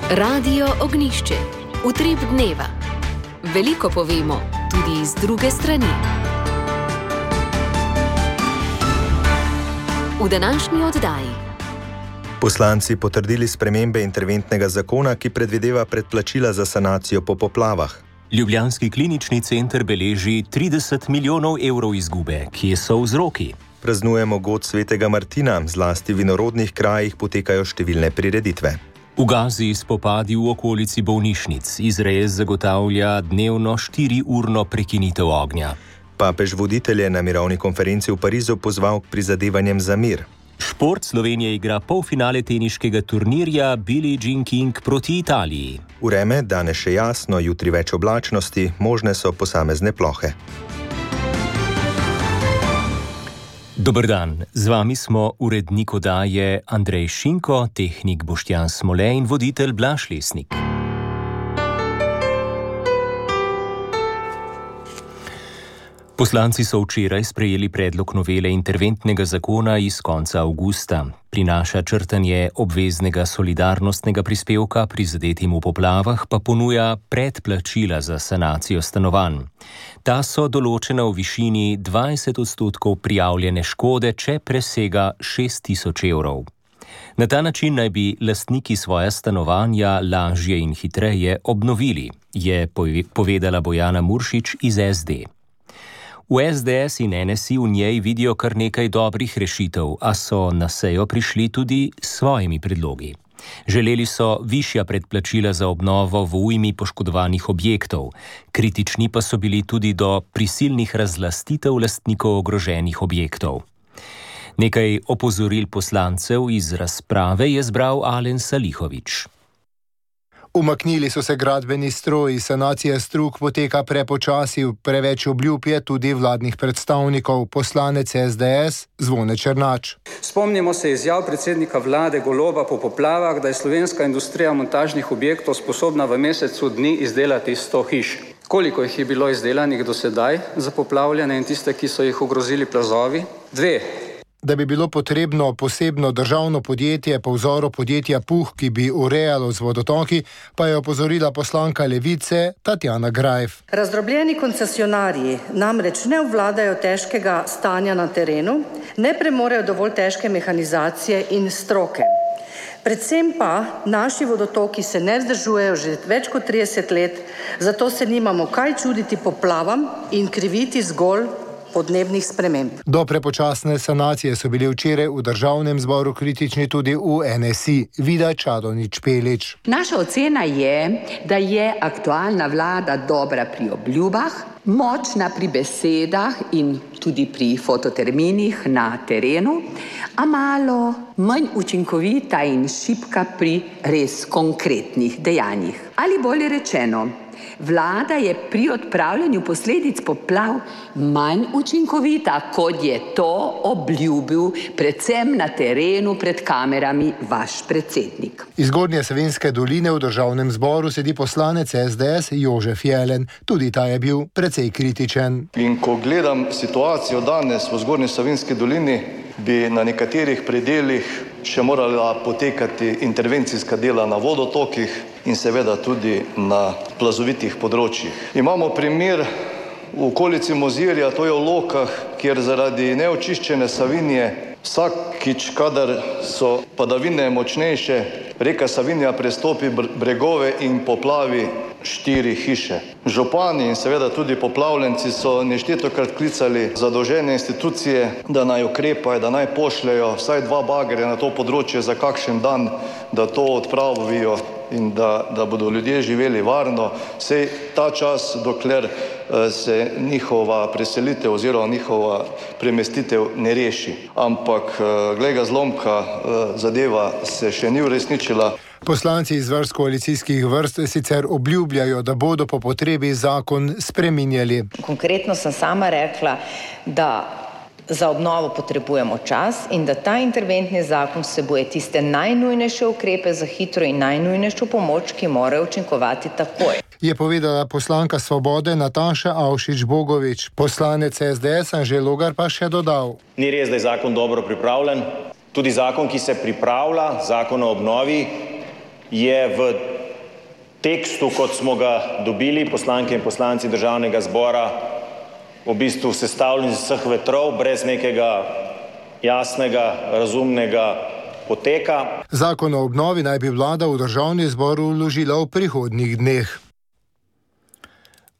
Radio Ognjišče. Utrip dneva. Veliko povemo, tudi iz druge strani. V današnji oddaji. Poslanci potrdili spremembe interventnega zakona, ki predvideva predplačila za sanacijo po poplavah. Ljubljanski klinični center beleži 30 milijonov evrov izgube, kje so vzroki. Praznujemo god svetega Martina, zlasti v vinorodnih krajih potekajo številne prireditve. V Gazi spopadi v okolici bolnišnic. Izrael zagotavlja dnevno 4-urno prekinitev ognja. Papež voditelje na mirovni konferenci v Parizu pozval k prizadevanjem za mir. Šport. Slovenija igra polfinale teniškega turnirja Billie Jean King proti Italiji. Vreme, danes še jasno, jutri več oblačnosti, možne so posamezne plohe. Dober dan, z vami smo urednik oddaje Andrej Šinko, tehnik Boštjan Smole in voditelj Blaž Lesnik. Poslanci so včeraj sprejeli predlog novele interventnega zakona iz konca avgusta. Prinaša črtanje obveznega solidarnostnega prispevka prizadetim v poplavah, pa ponuja predplačila za sanacijo stanovanj. Ta so določena v višini 20% prijavljene škode, če presega 6.000 evrov. Na ta način naj bi lastniki svoja stanovanja lažje in hitreje obnovili, je povedala Bojana Muršič iz SD. V SDS in NSI v njej vidijo kar nekaj dobrih rešitev, a so na sejo prišli tudi s svojimi predlogi. Želeli so višja predplačila za obnovo v ujmi poškodovanih objektov, kritični pa so bili tudi do prisilnih razlastitev lastnikov ogroženih objektov. Nekaj opozoril poslancev iz razprave je zbral Alen Salihović. Umaknili so se gradbeni stroji, sanacija strug poteka prepočasi, preveč obljub je tudi vladnih predstavnikov, poslanec SDS Zvone Černač. Spomnimo se izjav predsednika vlade Goloba po poplavah, da je slovenska industrija montažnih objektov sposobna v mesecu dni izdelati 100 hiš. Koliko jih je bilo izdelanih do sedaj za poplavljene in tiste, ki so jih ogrozili plazovi? 2. Da bi bilo potrebno posebno državno podjetje po vzoru podjetja Puh, ki bi urejalo z vodotoki, pa je opozorila poslanka Levice Tatjana Grajf. Razdrobljeni koncesionarji namreč ne obvladajo težkega stanja na terenu, ne premorejo dovolj težke mehanizacije in stroke. Predvsem pa naši vodotoki se ne vzdržujejo že več kot 30 let, zato se nimamo kaj čuditi poplavam in kriviti zgolj podnebnih sprememb. Do prepočasne sanacije so bili včeraj v državnem zboru kritični tudi v NSI. Vida Čadonič Špelič. Naša ocena je, da je aktualna vlada dobra pri obljubah, močna pri besedah in tudi pri fototerminih na terenu, a malo manj učinkovita in šibka pri res konkretnih dejanjih. Ali bolje rečeno, vlada je pri odpravljanju posledic poplav manj učinkovita, kot je to obljubil predvsem na terenu pred kamerami vaš predsednik. Iz Zgornje Savinjske doline v državnem zboru sedi poslanec SDS Jožef Jelen. Tudi ta je bil precej kritičen. In ko gledam situacijo danes v Zgornji Savinjski dolini, bi na nekaterih predelih še morala potekati intervencijska dela na vodotokih in seveda tudi na plazovitih področjih. Imamo primer v okolici Mozirja, to je v Lokah, kjer zaradi neočiščene Savinje vsakič, kadar so padavine močnejše, reka Savinja prestopi bregove in poplavi 4 hiše. Župani in seveda tudi poplavljenci so neštetokrat klicali zadolžene institucije, da naj ukrepajo, da naj pošljejo vsaj 2 bagerja na to področje za kakšen dan, da to odpravijo in da bodo ljudje živeli varno, saj ta čas, dokler se njihova preselitev oziroma njihova premestitev ne reši. Ampak glej ga zlomka, zadeva se še ni uresničila. Poslanci iz vrst koalicijskih vrst sicer obljubljajo, da bodo po potrebi zakon spreminjali. Konkretno sem sama rekla, da za obnovo potrebujemo čas in da ta interventni zakon vsebuje tiste najnujnejše ukrepe za hitro in najnujnejšo pomoč, ki morajo učinkovati takoj. Je povedala poslanka Svobode Nataša Avšič Bogovič. Poslanec SDS Anže Logar pa še dodal. Ni res, da je zakon dobro pripravljen. Tudi zakon, ki se pripravlja, zakon o obnovi, je v tekstu, kot smo ga dobili poslanke in poslanci Državnega zbora, v bistvu sestavljen iz vseh vetrov, brez nekega jasnega, razumnega poteka. Zakon o obnovi naj bi vlada v Državni zbor vložila v prihodnjih dneh.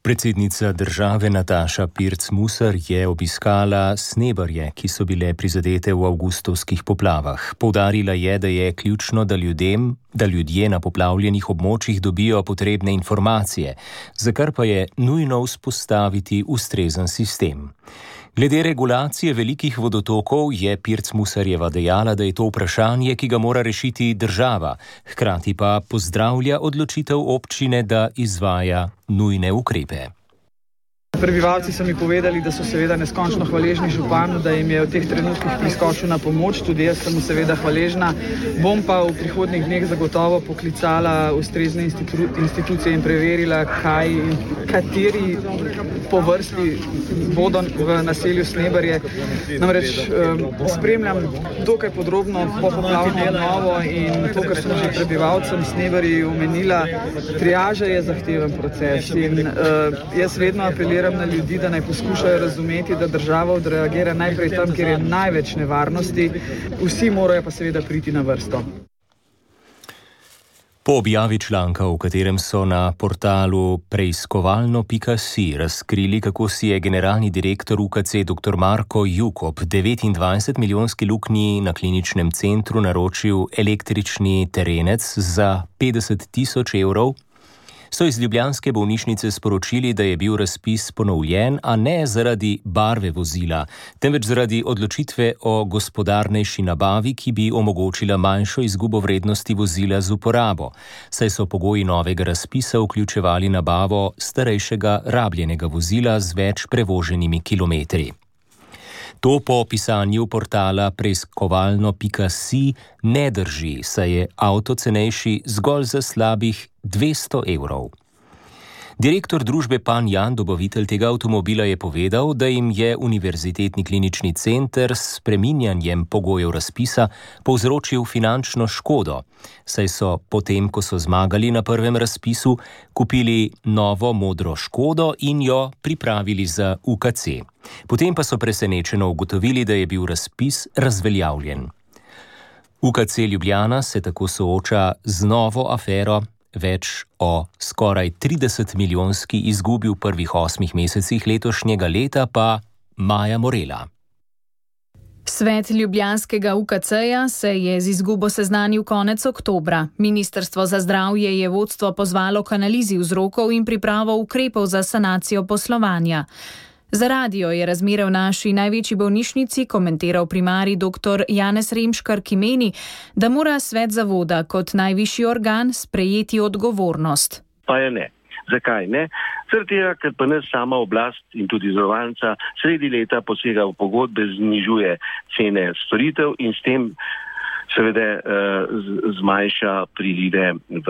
Predsednica države Nataša Pirc Musar je obiskala Snebarje, ki so bile prizadete v avgustovskih poplavah. Poudarila je, da je ključno, da ljudje na poplavljenih območjih dobijo potrebne informacije, za kar pa je nujno vzpostaviti ustrezen sistem. Glede regulacije velikih vodotokov je Pirc Musarjeva dejala, da je to vprašanje, ki ga mora rešiti država, hkrati pa pozdravlja odločitev občine, da izvaja nujne ukrepe. Prebivalci so mi povedali, da so seveda neskončno hvaležni županu, da jim je v teh trenutkih priskočil na pomoč, tudi jaz sem mu seveda hvaležna. Bom pa v prihodnjih dneh zagotovo poklicala ustrezne institucije in preverila, kateri po vrsti bodo v naselju Snebarje. Namreč spremljam dokaj podrobno popoplavno obnovo in to, kar sem že prebivalcem Snebarji omenila, triaža je zahteven proces in jaz vedno apeliram na ljudi, da naj poskušajo razumeti, da država odreagira najprej tam, kjer je največ nevarnosti, vsi morajo pa seveda priti na vrsto. Po objavi članka, v katerem so na portalu preiskovalno.si razkrili, kako si je generalni direktor UKC dr. Marko Jukob 29-milijonski luknji na kliničnem centru naročil električni terenec za 50.000 evrov, so iz ljubljanske bolnišnice sporočili, da je bil razpis ponovljen, a ne zaradi barve vozila, temveč zaradi odločitve o gospodarnejši nabavi, ki bi omogočila manjšo izgubo vrednosti vozila z uporabo, saj so pogoji novega razpisa vključevali nabavo starejšega rabljenega vozila z več prevoženimi kilometri. To po pisanju portala preiskovalno.si ne drži, saj je avto cenejši zgolj za slabih 200 evrov. Direktor družbe Pan Jan, dobavitelj tega avtomobila, je povedal, da jim je Univerzitetni klinični center s spreminjanjem pogojev razpisa povzročil finančno škodo, saj so potem, ko so zmagali na prvem razpisu, kupili novo modro Škodo in jo pripravili za UKC. Potem pa so presenečeno ugotovili, da je bil razpis razveljavljen. UKC Ljubljana se tako sooča z novo afero, več o skoraj 30-milijonski izgubi v prvih 8 mesecih letošnjega leta pa Maja Morela. Svet ljubljanskega UKC-ja se je z izgubo seznanil konec oktobra. Ministrstvo za zdravje je vodstvo pozvalo k analizi vzrokov in pripravo ukrepov za sanacijo poslovanja. Za radio je razmere v naši največji bolnišnici komentiral primarij dr. Janez Remškar, ki meni, da mora svet zavoda kot najvišji organ sprejeti odgovornost. Pa je ne. Zakaj ne? Zaradi tega, ker pa nas sama oblast in tudi zavarovalnica sredi leta posega v pogodbe, znižuje cene storitev in s tem seveda zmanjša prilive v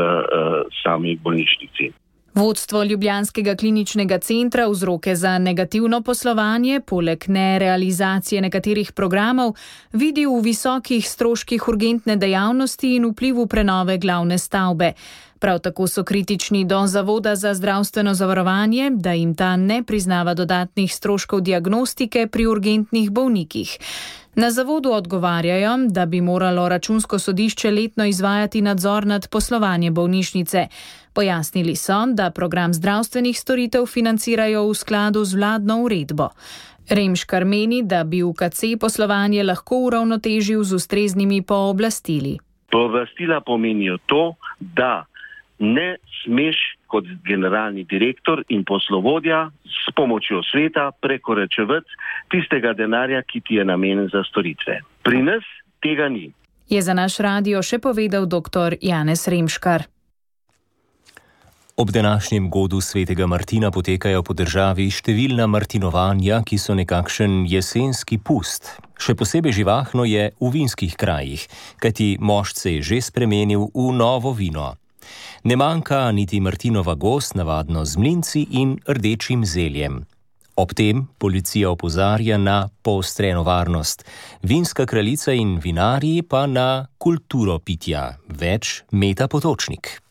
sami bolnišnici. Vodstvo Ljubljanskega kliničnega centra vzroke za negativno poslovanje, poleg nerealizacije nekaterih programov, vidi v visokih stroških urgentne dejavnosti in vplivu prenove glavne stavbe. Prav tako so kritični do Zavoda za zdravstveno zavarovanje, da jim ta ne priznava dodatnih stroškov diagnostike pri urgentnih bolnikih. Na zavodu odgovarjajo, da bi moralo Računsko sodišče letno izvajati nadzor nad poslovanjem bolnišnice. Pojasnili so, da program zdravstvenih storitev financirajo v skladu z vladno uredbo. Remškar meni, da bi UKC poslovanje lahko uravnotežil z ustreznimi pooblastili. Pooblastila pomenijo to, da ne smeš kot generalni direktor in poslovodja s pomočjo sveta prekoračevati tistega denarja, ki ti je namenjen za storitve. Pri nas tega ni. Je za naš radio še povedal dr. Janez Remškar. Ob današnjem godu svetega Martina potekajo po državi številna martinovanja, ki so nekakšen jesenski pust. Še posebej živahno je v vinskih krajih, kajti mošt se je že spremenil v novo vino. Ne manjka niti Martinova gost, navadno z mlinci in rdečim zeljem. Ob tem policija opozarja na poostreno varnost, vinska kraljica in vinarji pa na kulturo pitja. Več Meta Potočnik.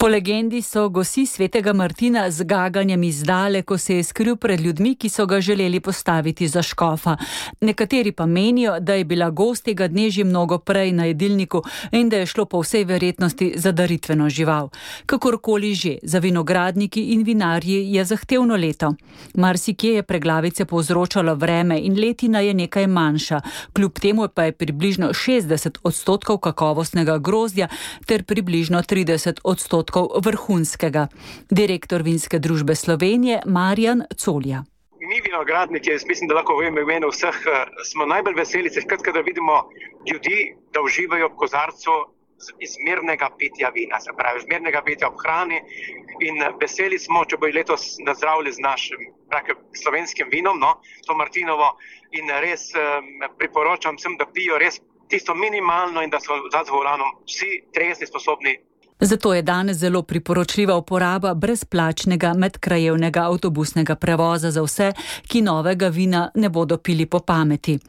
Po legendi so gosi svetega Martina z gaganjem izdale, ko se je skril pred ljudmi, ki so ga želeli postaviti za škofa. Nekateri pa menijo, da je bila gost tega dne že mnogo prej na jedilniku in da je šlo po vsej verjetnosti za daritveno žival. Kakorkoli že, za vinogradniki in vinarji je zahtevno leto. Marsikje je preglavice povzročalo vreme in letina je nekaj manjša. Kljub temu pa je približno 60% kakovostnega grozdja ter približno 30% vrhunskega. Direktor Vinske družbe Slovenije Marjan Colja. Mi vinogradniki, jaz mislim, da lahko v imenu vseh, smo najbolj veseli, da vidimo ljudi, da uživajo v kozarcu izmernega pitja vina, se pravi izmernega pitja ob hrani, in veseli smo, če bo letos nazdravili z našim slovenskim vinom, to Martinovo, in res priporočam vsem, da pijo res tisto minimalno in da so za volanom vsi trezni, sposobni. Zato je danes zelo priporočljiva uporaba brezplačnega medkrajevnega avtobusnega prevoza za vse, ki novega vina ne bodo pili po pameti.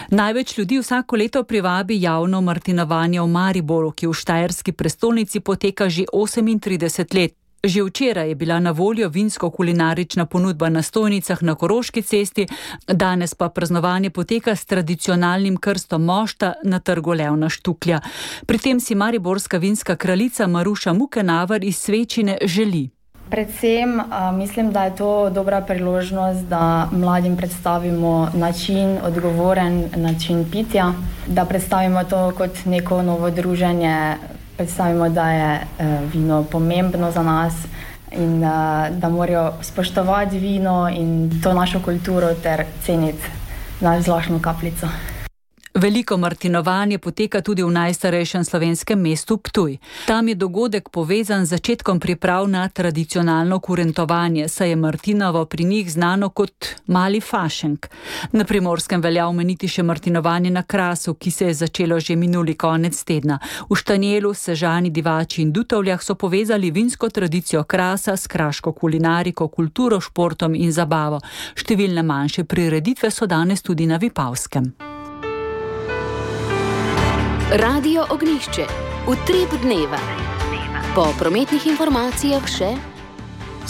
Največ ljudi vsako leto privabi javno martinovanje v Mariboru, ki v štajerski prestolnici poteka že 38 let. Že včeraj je bila na voljo vinsko-kulinarična ponudba na stojnicah na Koroški cesti, danes pa praznovanje poteka s tradicionalnim krstom mošta na trgu Levna Štuklja. Pri tem si mariborska vinska kraljica Maruša Mukenavar iz Svečine želi. Predvsem mislim, da je to dobra priložnost, da mladim predstavimo odgovoren način pitja, da predstavimo to kot neko novo druženje. Predstavimo, da je vino pomembno za nas in da morajo spoštovati vino in to našo kulturo ter ceniti naš zlošno kapljico. Veliko martinovanje poteka tudi v najstarejšem slovenskem mestu Ptuj. Tam je dogodek povezan z začetkom priprav na tradicionalno kurentovanje, saj je martinovo pri njih znano kot mali fašenk. Na Primorskem velja omeniti še martinovanje na Krasu, ki se je začelo že minuli konec tedna. V Štanjelu, Sežani, Divači in Dutovljah so povezali vinsko tradicijo Krasa s kraško kulinariko, kulturo, športom in zabavo. Številne manjše prireditve so danes tudi na Vipavskem. Radio Ognjišče. Utrip dneva. Po prometnih informacijah še.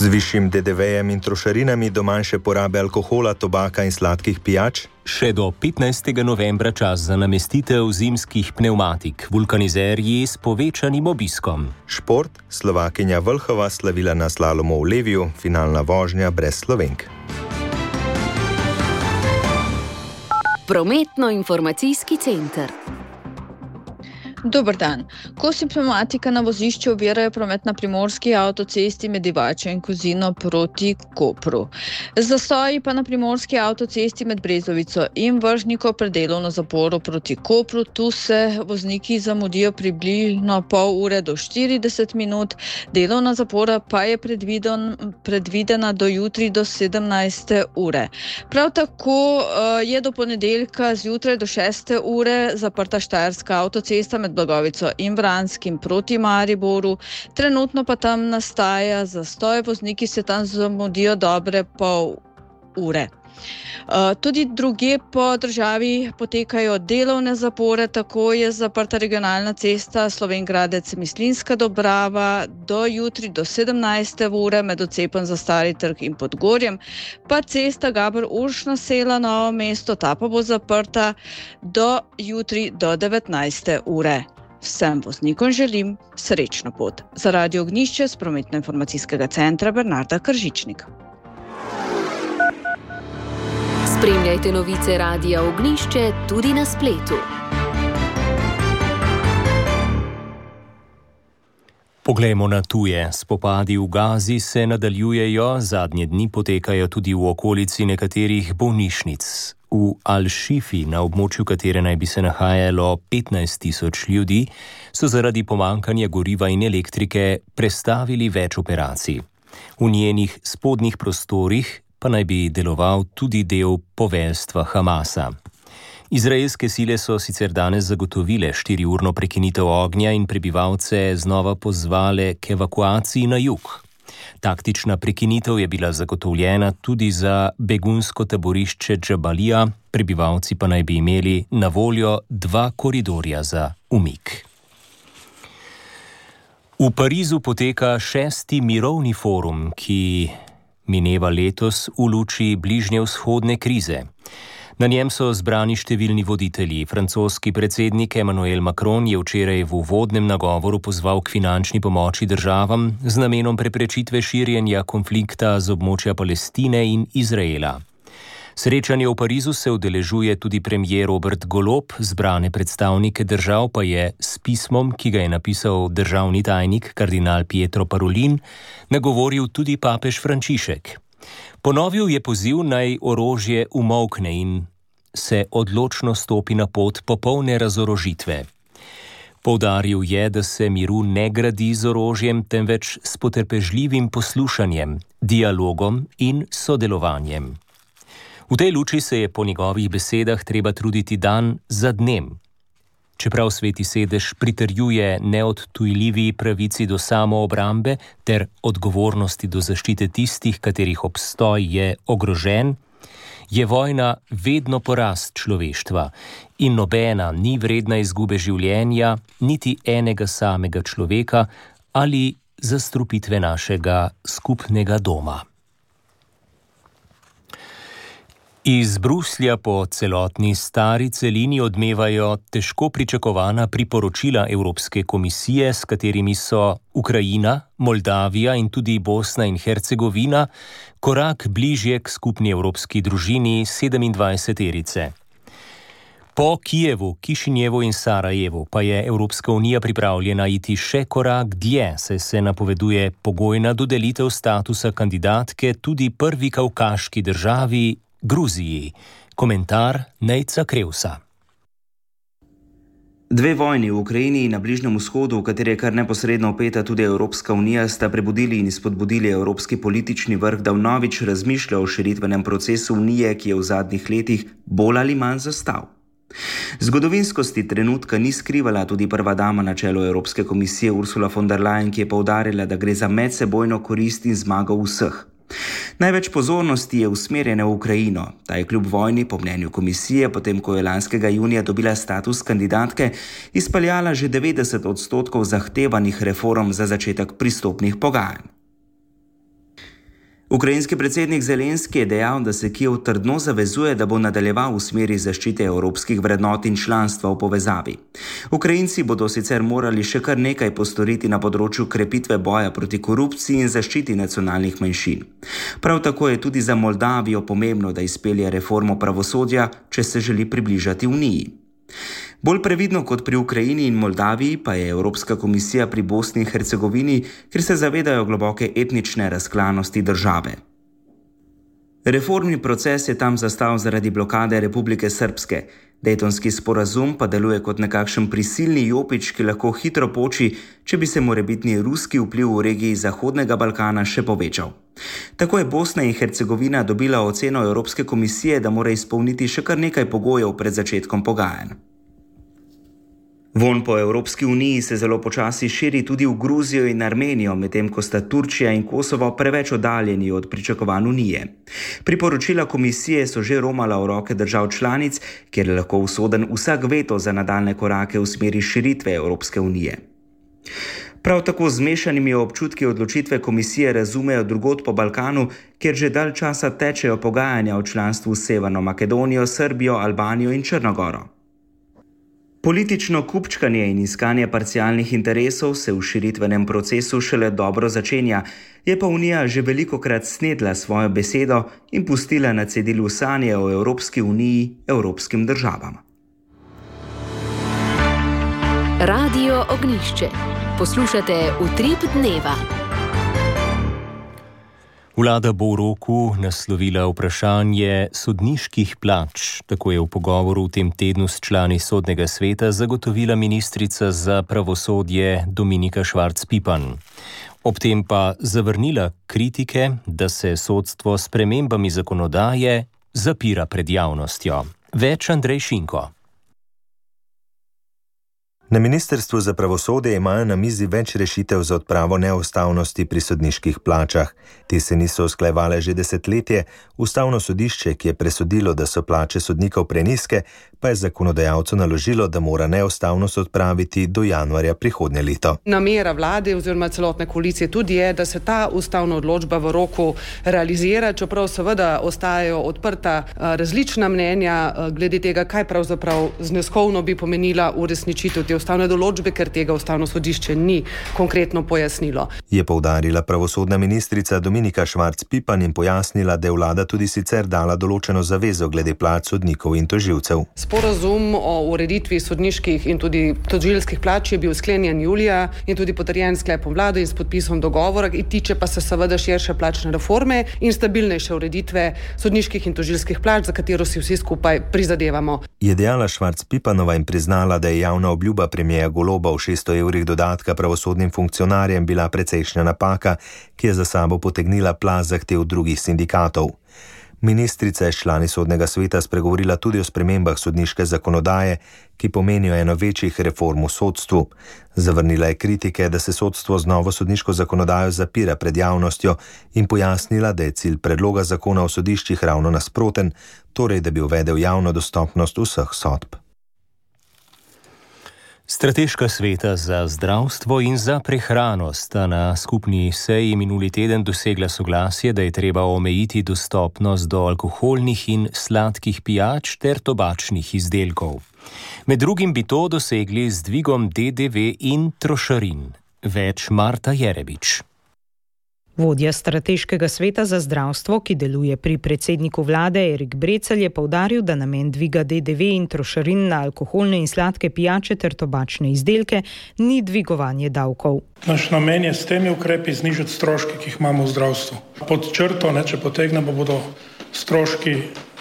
Z višjim DDV-jem in trošarinami do manjše porabe alkohola, tobaka in sladkih pijač. Še do 15. novembra čas za namestitev zimskih pnevmatik, vulkanizerji s povečanim obiskom. Šport, Slovakinja Vlhova slavila na slalomu v Leviju, finalna vožnja brez Slovenk. Prometno-informacijski center. Dober dan. Kosi pnevmatika na vozišču ovirajo promet na primorski avtocesti med Divačo in Kozino proti Kopru. Zastoji pa na primorski avtocesti med Brezovico in Vržniko pred delovno zaporo proti Kopru. Tu se vozniki zamudijo približno pol ure do 40 minut. Delovna zapora pa je predvidena do jutri do 17. ure. Prav tako je do ponedeljka zjutraj do 6. ure zaprta štajerska avtocesta med Blagovico in Vranskim proti Mariboru. Trenutno pa tam nastaja zastoj, vozniki se tam zamudijo dobre pol ure. Tudi drugje po državi potekajo delovne zapore, tako je zaprta regionalna cesta Slovenj Gradec-Mislinjska Dobrava do jutri do 17. ure med odcepom za Stari trg in Podgorjem, pa cesta Gaber-Uršna Sela Novo mesto, ta pa bo zaprta do jutri do 19. ure. Vsem voznikom želim srečno pot. Za Radio Ognjišče z prometno-informacijskega centra Bernarda Kržičnik. Spremljajte novice Radia Ognjišče tudi na spletu. Poglejmo na tuje. Spopadi v Gazi se nadaljujejo, zadnje dni potekajo tudi v okolici nekaterih bolnišnic. V Al-Šifi, na območju katere naj bi se nahajalo 15.000 ljudi, so zaradi pomanjkanja goriva in elektrike prestavili več operacij. V njenih spodnjih prostorih pa naj bi deloval tudi del poveljstva Hamasa. Izraelske sile so sicer danes zagotovile 4-urno prekinitev ognja in prebivalce znova pozvale k evakuaciji na jug. Taktična prekinitev je bila zagotovljena tudi za begunsko taborišče Džabalija, prebivalci pa naj bi imeli na voljo 2 koridorja za umik. V Parizu poteka 6. mirovni forum, ki mineva letos v luči bližnjevzhodne krize. Na njem so zbrani številni voditelji. Francoski predsednik Emmanuel Macron je včeraj v uvodnem nagovoru pozval k finančni pomoči državam z namenom preprečitve širjenja konflikta z območja Palestine in Izraela. Srečanje v Parizu se udeležuje tudi premier Robert Golob, zbrane predstavnike držav pa je s pismom, ki ga je napisal državni tajnik kardinal Pietro Parolin, nagovoril tudi papež Frančišek. Ponovil je poziv naj orožje umolkne in se odločno stopi na pot popolne razorožitve. Poudaril je, da se miru ne gradi z orožjem, temveč s potrpežljivim poslušanjem, dialogom in sodelovanjem. V tej luči se je po njegovih besedah treba truditi dan za dnem. Čeprav Sveti sedež pritrjuje neodtujljivi pravici do samoobrambe ter odgovornosti do zaščite tistih, katerih obstoj je ogrožen, je vojna vedno porast človeštva in nobena ni vredna izgube življenja, niti enega samega človeka ali zastrupitve našega skupnega doma. Iz Bruslja po celotni stari celini odmevajo težko pričakovana priporočila Evropske komisije, s katerimi so Ukrajina, Moldavija in tudi Bosna in Hercegovina korak bližje k skupni evropski družini 27-terice. Po Kijevu, Kišinjevu in Sarajevu pa je Evropska unija pripravljena iti še korak dlje, saj se napoveduje pogojna dodelitev statusa kandidatke tudi prvi kavkaški državi Gruziji. Komentar Nejca Krevsa. Dve vojni v Ukrajini in na Bližnjem vzhodu, v kateri je kar neposredno vpeta tudi Evropska unija, sta prebudili in spodbudili evropski politični vrh, da vnovič razmišlja o širitvenem procesu unije, ki je v zadnjih letih bolj ali manj zastal. Zgodovinskosti trenutka ni skrivala tudi prva dama na čelu Evropske komisije Ursula von der Leyen, ki je poudarila, da gre za medsebojno korist in zmago vseh. Največ pozornosti je usmerjene v Ukrajino. Ta je kljub vojni, po mnenju komisije, potem ko je lanskega junija dobila status kandidatke, izpeljala že 90% zahtevanih reform za začetek pristopnih pogajanj. Ukrajinski predsednik Zelenski je dejal, da se Kijev trdno zavezuje, da bo nadaljeval v smeri zaščite evropskih vrednot in članstva v povezavi. Ukrajinci bodo sicer morali še kar nekaj postoriti na področju krepitve boja proti korupciji in zaščiti nacionalnih manjšin. Prav tako je tudi za Moldavijo pomembno, da izpelje reformo pravosodja, če se želi približati Uniji. Bolj previdno kot pri Ukrajini in Moldaviji pa je Evropska komisija pri Bosni in Hercegovini, ker se zavedajo globoke etnične razklanosti države. Reformni proces je tam zastal zaradi blokade Republike Srpske. Dejtonski sporazum pa deluje kot nekakšen prisilni jopič, ki lahko hitro poči, če bi se morebitni ruski vpliv v regiji Zahodnega Balkana še povečal. Tako je Bosna in Hercegovina dobila oceno Evropske komisije, da mora izpolniti še kar nekaj pogojev pred začetkom pogajanj. Vonj po Evropski uniji se zelo počasi širi tudi v Gruzijo in Armenijo, medtem ko sta Turčija in Kosovo preveč oddaljeni od pričakovanj unije. Priporočila komisije so že romala v roke držav članic, kjer je lahko usoden vsak veto za nadaljne korake v smeri širitve Evropske unije. Prav tako z mešanimi občutki odločitve komisije razumejo drugod po Balkanu, kjer že dalj časa tečejo pogajanja o članstvu s Severno Makedonijo, Srbijo, Albanijo in Črnogoro. Politično kupčkanje in iskanje parcialnih interesov se v širitvenem procesu šele dobro začenja, je pa Unija že velikokrat snedla svojo besedo in pustila na cedilu sanje o Evropski uniji evropskim državam. Radio Ognjišče. Poslušate Utrip dneva. Vlada bo v roku naslovila vprašanje sodniških plač. Tako je v pogovoru v tem tednu s člani Sodnega sveta zagotovila ministrica za pravosodje Dominika Švarc Pipan. Ob tem pa zavrnila kritike, da se sodstvo s spremembami zakonodaje zapira pred javnostjo. Več Andrej Šinko. Na Ministrstvu za pravosodje imajo na mizi več rešitev za odpravo neustavnosti pri sodniških plačah. Te se niso usklajevale že desetletje, Ustavno sodišče, ki je presodilo, da so plače sodnikov prenizke, pa je zakonodajalcu naložilo, da mora neustavnost odpraviti do januarja prihodnje leto. Namera vlade oziroma celotne koalicije tudi je, da se ta ustavna odločba v roku realizira, čeprav seveda ostajajo odprta različna mnenja glede tega, kaj pravzaprav zneskovno bi pomenila uresničitev te ustavne določbe, ker tega Ustavno sodišče ni konkretno pojasnilo. Je poudarila pravosodna ministrica Dominika Švarc Pipan in pojasnila, da je vlada tudi sicer dala določeno zavezo glede plač sodnikov in tožilcev. Sporazum o ureditvi sodniških in tudi tožilskih plač je bil sklenjen julija in tudi potrjen sklepom vlade in s podpisom dogovora, in tiče pa se seveda širše plačne reforme in stabilnejše ureditve sodniških in tožilskih plač, za katero si vsi skupaj prizadevamo. Je dejala Švarc Pipanova in priznala, da je javna obljuba premierja Goloba o 600 evrih dodatka pravosodnim funkcionarjem bila precejšnja napaka, ki je za sabo potegnila plaz zahtev drugih sindikatov. Ministrica je s člani Sodnega sveta spregovorila tudi o spremembah sodniške zakonodaje, ki pomenijo eno večjih reform v sodstvu. Zavrnila je kritike, da se sodstvo z novo sodniško zakonodajo zapira pred javnostjo in pojasnila, da je cilj predloga zakona o sodiščih ravno nasproten, torej da bi uvedel javno dostopnost vseh sodb. Strateška sveta za zdravstvo in za prehrano sta na skupni seji minuli teden dosegla soglasje, da je treba omejiti dostopnost do alkoholnih in sladkih pijač ter tobačnih izdelkov. Med drugim bi to dosegli z dvigom DDV in trošarin. Več Marta Jerebič. Vodja Strateškega sveta za zdravstvo, ki deluje pri predsedniku vlade Erik Brecelj, je poudaril, da namen dviga DDV in trošarin na alkoholne in sladke pijače ter tobačne izdelke ni dvigovanje davkov. Naš namen je s temi ukrepi znižati stroške, ki jih imamo v zdravstvu. Pod črto, če potegnemo, bodo stroški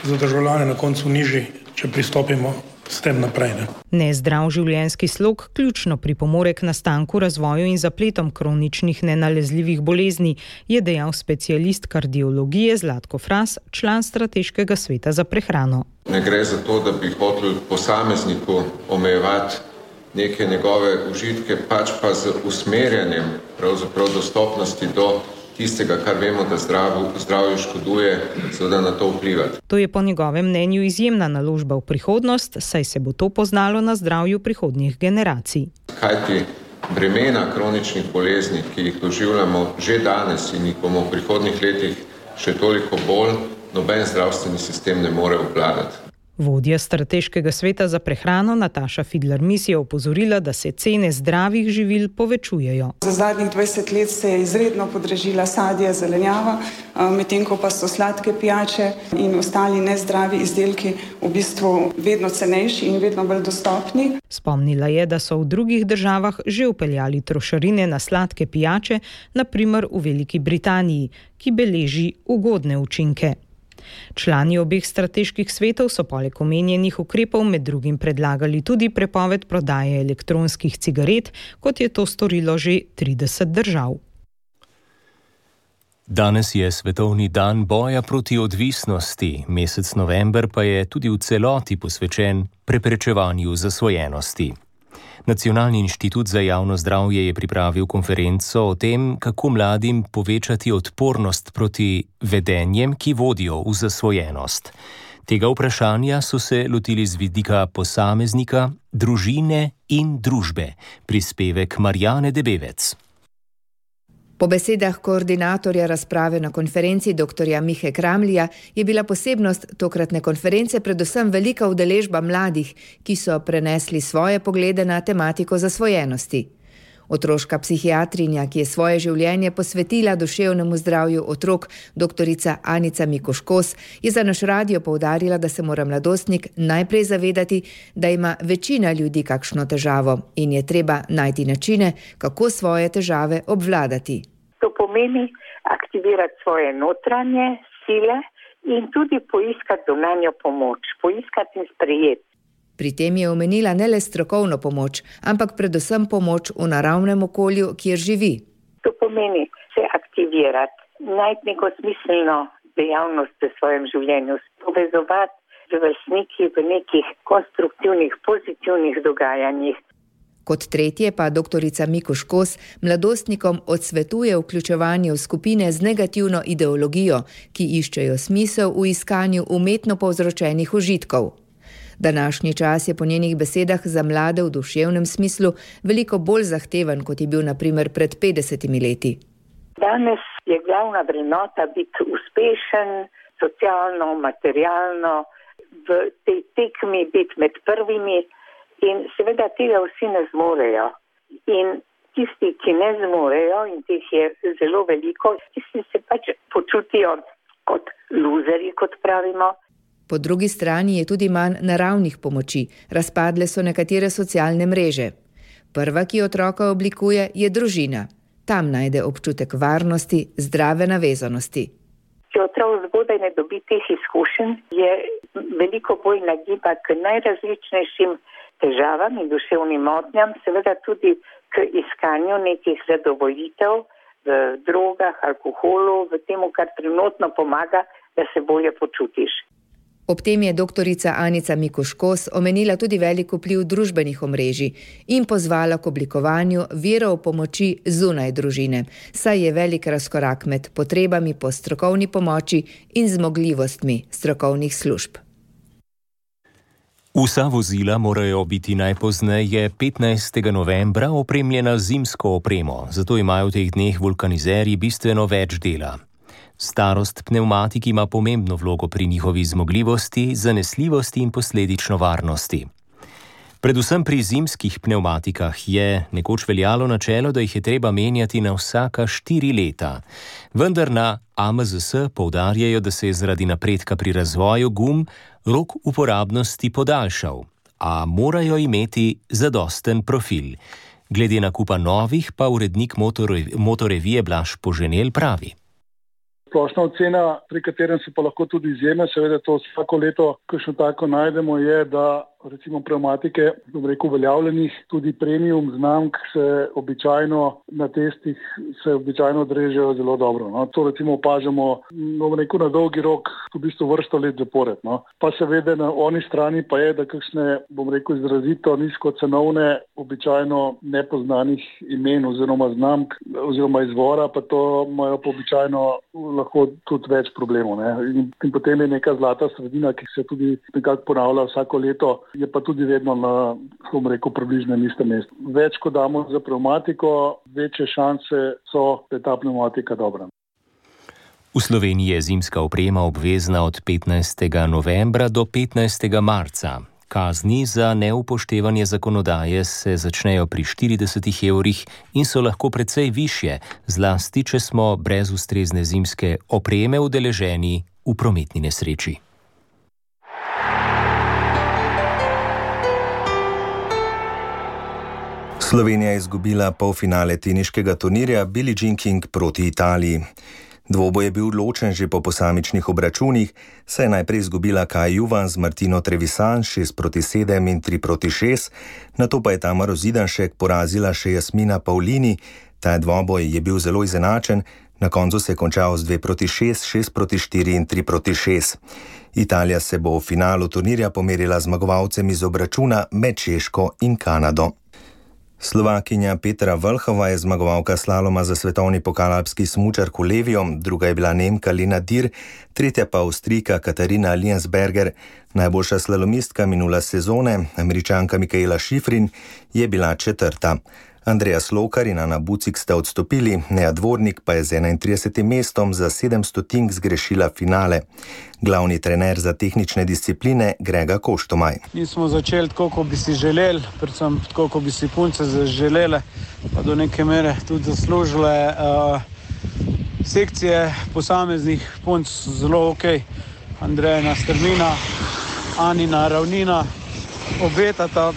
za državljane na koncu nižji, če pristopimo s tem naprej. Nezdrav življenjski slog ključno pripomore k nastanku, razvoju in zapletom kroničnih nenalezljivih bolezni, je dejal specialist kardiologije Zlatko Fras, član Strateškega sveta za prehrano. Ne gre za to, da bi hotel posamezniku omejevati neke njegove užitke, pač pa z usmerjanjem pravzaprav dostopnosti do tistega, kar vemo, da zdravju škoduje, seveda na to vplivati. To je po njegovem mnenju izjemna naložba v prihodnost, saj se bo to poznalo na zdravju prihodnjih generacij. Kajti bremena kroničnih bolezni, ki jih doživljamo že danes in jih bomo v prihodnjih letih še toliko bolj, noben zdravstveni sistem ne more obvladati. Vodja Strateškega sveta za prehrano Nataša Fidler-Mis je opozorila, da se cene zdravih živil povečujejo. Za zadnjih 20 let se je izredno podražila sadje, zelenjava, medtem ko pa so sladke pijače in ostali nezdravi izdelki v bistvu vedno cenejši in vedno bolj dostopni. Spomnila je, da so v drugih državah že vpeljali trošarine na sladke pijače, na primer v Veliki Britaniji, ki beleži ugodne učinke. Člani obeh strateških svetov so poleg omenjenih ukrepov med drugim predlagali tudi prepoved prodaje elektronskih cigaret, kot je to storilo že 30 držav. Danes je svetovni dan boja proti odvisnosti, mesec november pa je tudi v celoti posvečen preprečevanju zasvojenosti. Nacionalni inštitut za javno zdravje je pripravil konferenco o tem, kako mladim povečati odpornost proti vedenjem, ki vodijo v zasvojenost. Tega vprašanja so se lotili z vidika posameznika, družine in družbe. Prispevek Marjane Debevec. Po besedah koordinatorja razprave na konferenci dr. Mihe Kramlija je bila posebnost tokratne konference predvsem velika udeležba mladih, ki so prenesli svoje poglede na tematiko zasvojenosti. Otroška psihiatrinja, ki je svoje življenje posvetila duševnemu zdravju otrok, doktorica Anica Mikoškos, je za naš radio poudarila, da se mora mladostnik najprej zavedati, da ima večina ljudi kakšno težavo in je treba najti načine, kako svoje težave obvladati. To pomeni aktivirati svoje notranje sile in tudi poiskati zunanjo pomoč, poiskati in sprejeti. Pri tem je omenila ne le strokovno pomoč, ampak predvsem pomoč v naravnem okolju, kjer živi. To pomeni se aktivirati, najti neko smiselno dejavnost v svojem življenju, povezovati z vrstniki v nekih konstruktivnih, pozitivnih dogajanjih. Kot tretje pa doktorica Mikuš Kos mladostnikom odsvetuje vključevanje v skupine z negativno ideologijo, ki iščejo smisel v iskanju umetno povzročenih užitkov. Današnji čas je po njenih besedah za mlade v duševnem smislu veliko bolj zahteven, kot je bil na primer pred 50 leti. Danes je glavna vrednota biti uspešen, socialno, materialno, v tej tekmi biti med prvimi. In seveda tega vsi ne zmorejo. In tisti, ki ne zmorejo, in teh je zelo veliko, tisti se pač počutijo kot luzerji, kot pravimo. Po drugi strani je tudi manj naravnih pomoči. Razpadle so nekatere socialne mreže. Prva, ki otroka oblikuje, je družina. Tam najde občutek varnosti, zdrave navezanosti. Če otrok zgodaj ne dobi teh izkušenj, je veliko bolj nagiba k najrazličnejšim težavam in duševnim motnjam, seveda tudi k iskanju nekih zadovoljitev v drogah, alkoholu, v temu, kar trenutno pomaga, da se bolje počutiš. Ob tem je doktorica Anica Mikuš Kos omenila tudi velik vpliv družbenih omrežij in pozvala k oblikovanju virov pomoči zunaj družine, saj je velik razkorak med potrebami po strokovni pomoči in zmogljivostmi strokovnih služb. Vsa vozila morajo biti najpozneje 15. novembra opremljena z zimsko opremo, zato imajo v teh dneh vulkanizerji bistveno več dela. Starost pnevmatik ima pomembno vlogo pri njihovi zmogljivosti, zanesljivosti in posledično varnosti. Predvsem pri zimskih pnevmatikah je nekoč veljalo načelo, da jih je treba menjati na vsaka 4 leta. Vendar na AMZS poudarjajo, da se je zaradi napredka pri razvoju gum rok uporabnosti podaljšal, a morajo imeti zadosten profil. Glede nakupa novih pa urednik motorevije Blaž Poženel pravi. Splošna ocena, pri katerem se pa lahko tudi izjeme, seveda to vsako leto, kakšno tako najdemo, je, da recimo pnevmatike, uveljavljenih, tudi premium znamk se običajno na testih odrežejo zelo dobro. No. To recimo opažamo na dolgi rok, v bistvu vrsto let zapored. No. Pa seveda na oni strani pa je, da kakšne, izrazito nizkocenovne, običajno nepoznanih imen oziroma znamk oziroma izvora, pa to imajo pa običajno lahko tudi več problemov. Ne. In potem je neka zlata sredina, ki se tudi nekako ponavlja vsako leto, je pa tudi vedno na, približnem istem mestu. Več, ko damo za pnevmatiko, večje šanse so, da je ta pnevmatika dobra. V Sloveniji je zimska oprema obvezna od 15. novembra do 15. marca. Kazni za neupoštevanje zakonodaje se začnejo pri 40 evrih in so lahko precej višje, zlasti če smo brez ustrezne zimske opreme udeleženi v prometni nesreči. Slovenija je izgubila polfinale teniškega turnirja Billie Jean King proti Italiji. Dvoboj je bil odločen že po posamičnih obračunih, saj je najprej izgubila Kai Juvan z Martino Trevisan 6-7 in 3-6, nato pa je Tamaro Zidanšek porazila še Jasmina Paulini. Ta dvoboj je bil zelo izenačen, na koncu se je končal z 2-6, 6-4 in 3-6. Italija se bo v finalu turnirja pomerila zmagovalcem iz obračuna med Češko in Kanado. Slovakinja Petra Vlhova je zmagovalka slaloma za svetovni pokal alpski smučarko Levijo, druga je bila Nemka Lena Dir, tretja pa Avstrijka Katarina Liensberger. Najboljša slalomistka minula sezone, Američanka Mikaela Šifrin, je bila četrta. Andreja Slokar in Ana Bucik sta odstopili, Neja Dvornik pa je z 31. mestom za 700 zgrešila finale. Glavni trener za tehnične discipline Grega Koštomaj. Nismo začeli tako, kot bi si želeli, predvsem tako, kot bi si punce zaželele, pa do neke mere tudi zaslužile. Sekcije posameznih punc zelo ok. Andrejina Strmina, Anina Ravnina obetata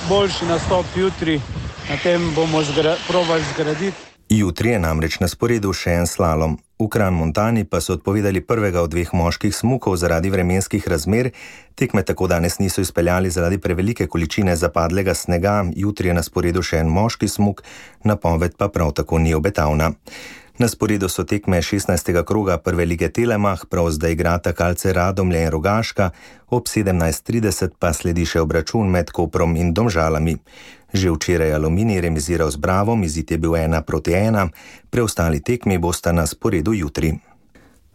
boljši nastop jutri. Na tem bomo probali zgraditi. Jutri je namreč na sporedu še en slalom. V Kranj-Montani pa so odpovedali prvega od 2 moških smukov zaradi vremenskih razmer. Tekme tako danes niso izpeljali zaradi prevelike količine zapadlega snega. Jutri je na sporedu še en moški smuk, napoved pa prav tako ni obetavna. Na sporedu so tekme 16. kroga prve lige Telemach, prav zdaj igrata Kalce Radomlje in Rogaška, ob 17:30 pa sledi še obračun med Koprom in Domžalami. Že včeraj Aluminij remiziral z Bravom, izid je bil 1-1, preostali tekmi bosta na sporedu jutri.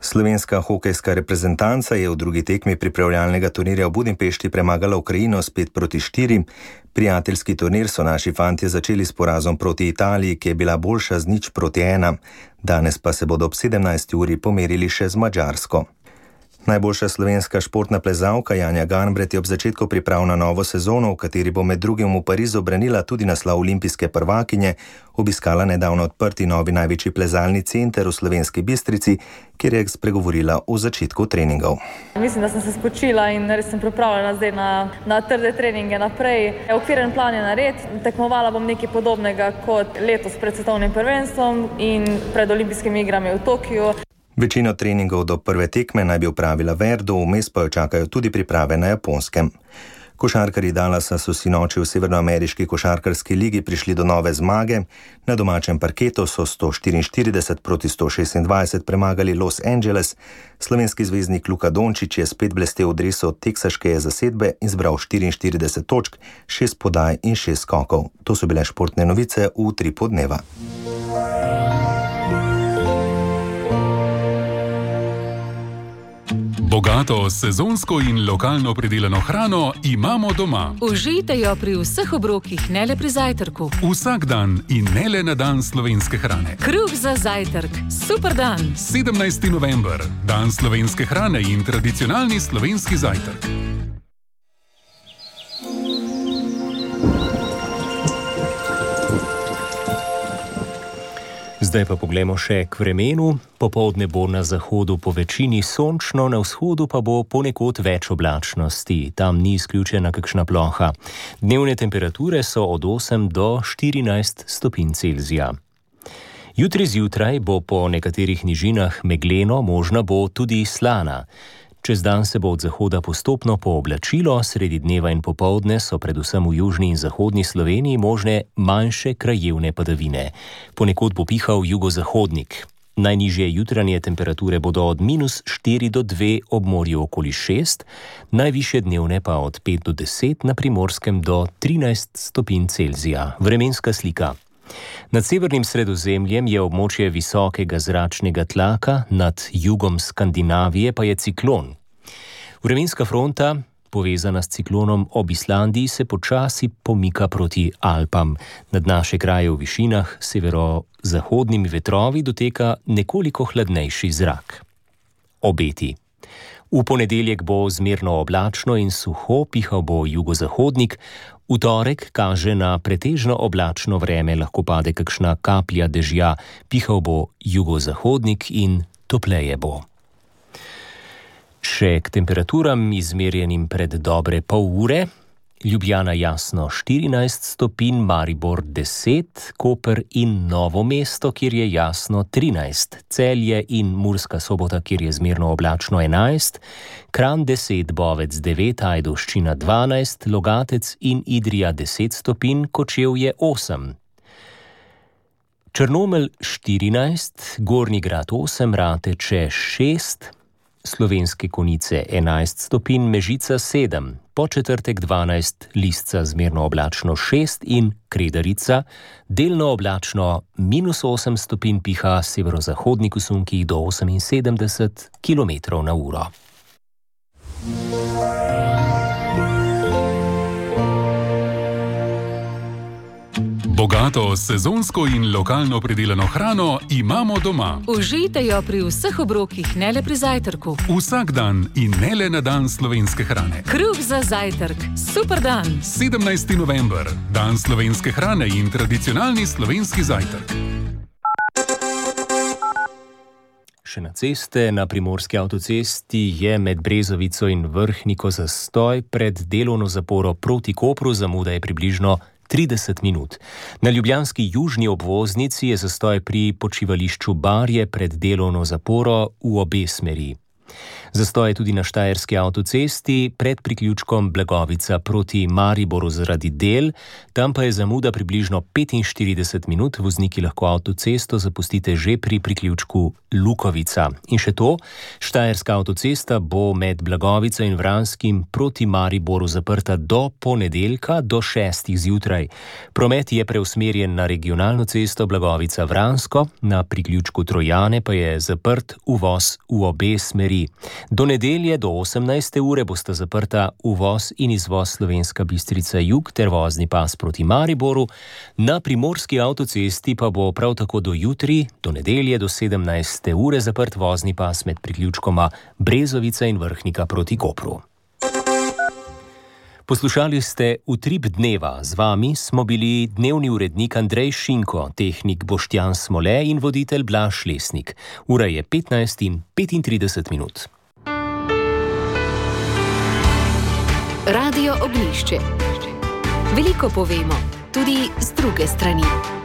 Slovenska hokejska reprezentanca je v drugi tekmi pripravljalnega turnirja v Budimpešti premagala Ukrajino s 5-4. Prijateljski turnir so naši fantje začeli s porazom proti Italiji, ki je bila boljša z 0-1. Danes pa se bodo ob 17. uri pomerili še z Madžarsko. Najboljša slovenska športna plezalka Janja Garnbret je ob začetku priprav na novo sezono, v kateri bo med drugim v Parizu branila tudi naslov olimpijske prvakinje, obiskala nedavno odprti novi največji plezalni center v Slovenski Bistrici, kjer je spregovorila o začetku treningov. Mislim, da sem se spočila in res sem pripravljena zdaj na trde treninge naprej. Okviren plan je nared, tekmovala bom nekaj podobnega kot letos pred svetovnim prvenstvom in pred olimpijskimi igrami v Tokiu. Večino treningov do prve tekme naj bi opravila Verdu, vmes pa jo čakajo tudi priprave na Japonskem. Košarkarji Dallasa so sinoči v severnoameriški košarkarski ligi prišli do nove zmage. Na domačem parketu so 144-126 premagali Los Angeles. Slovenski zvezdnik Luka Dončić je spet blestel v dresu teksaške zasedbe in zbral 44 točk, 6 podaj in 6 skokov. To so bile športne novice v Utripu dneva. Bogato sezonsko in lokalno pridelano hrano imamo doma. Užijte jo pri vseh obrokih, ne le pri zajtrku. Vsak dan in ne le na dan slovenske hrane. Kruh za zajtrk. Super dan. 17. november. Dan slovenske hrane in tradicionalni slovenski zajtrk. Zdaj pa poglejmo še k vremenu. Popoldne bo na zahodu po večini sončno, na vzhodu pa bo ponekod več oblačnosti. Tam ni izključena kakšna ploha. Dnevne temperature so od 8 do 14 stopinj Celzija. Jutri zjutraj bo po nekaterih nižinah megleno, možna bo tudi slana. Čez dan se bo od zahoda postopno pooblačilo, sredi dneva in popoldne so predvsem v južni in zahodni Sloveniji možne manjše krajevne padavine. Ponekod bo pihal jugozahodnik. Najnižje jutranje temperature bodo od -4 do 2 ob morju okoli 6, najvišje dnevne pa od 5 do 10, na Primorskem do 13 stopinj Celzija. Vremenska slika. Nad severnim Sredozemljem je območje visokega zračnega tlaka, nad jugom Skandinavije pa je ciklon. Vremenska fronta, povezana s ciklonom ob Islandiji, se počasi pomika proti Alpam. Nad naše kraje v višinah severozahodnimi vetrovi doteka nekoliko hladnejši zrak. Obeti. V ponedeljek bo zmerno oblačno in suho, pihal bo jugozahodnik. V torek kaže na pretežno oblačno vreme, lahko pade kakšna kaplja dežja, pihal bo jugozahodnik in topleje bo. Še k temperaturam izmerjenim pred dobre pol ure. Ljubljana jasno 14 stopinj, Maribor 10, Koper in Novo mesto, kjer je jasno 13, Celje in Murska Sobota, kjer je zmerno oblačno 11, Kranj 10, Bovec 9, Ajdovščina 12, Logatec in Idrija 10 stopinj, Kočevje 8. Črnomelj 14, Gornji Grad 8, Rateče 6, Slovenske Konjice 11 stopinj, Mežica 7, Podčetrtek 12, Lisca zmerno oblačno 6 in Kredarica delno oblačno -8 stopinj, piha severozahodnik v sunkih do 78 km/h. Bogato sezonsko in lokalno pridelano hrano imamo doma. Užijte jo pri vseh obrokih, ne le pri zajtrku. Vsak dan in ne le na dan slovenske hrane. Kruh za zajtrk. Super dan. 17. november. Dan slovenske hrane in tradicionalni slovenski zajtrk. Še na ceste, na Primorski avtocesti je med Brezovico in Vrhniko zastoj, pred delovno zaporo proti Kopru zamuda je približno 30 minut. Na ljubljanski južni obvoznici je zastoj pri počivališču Barje pred delovno zaporo v obe smeri. Zastoj je tudi na štajerski avtocesti pred priključkom Blagovica proti Mariboru zaradi del, tam pa je zamuda približno 45 minut, vozniki lahko avtocesto zapustite že pri priključku Lukovica. In še to, štajerska avtocesta bo med Blagovico in Vranskim proti Mariboru zaprta do ponedeljka do 6. zjutraj. Promet je preusmerjen na regionalno cesto Blagovica-Vransko, na priključku Trojane pa je zaprt uvoz v obe smeri. Do nedelje do 18. ure bosta zaprta uvoz in izvoz Slovenska Bistrica jug ter vozni pas proti Mariboru, na primorski avtocesti pa bo prav tako do jutri, do nedelje do 17. ure zaprt vozni pas med priključkoma Brezovica in Vrhnika proti Kopru. Poslušali ste Utrip dneva, z vami smo bili dnevni urednik Andrej Šinko, tehnik Boštjan Smole in voditelj Blaž Lesnik. Ura je 15:35 minut. Radio Oglišče. Veliko povemo, tudi z druge strani.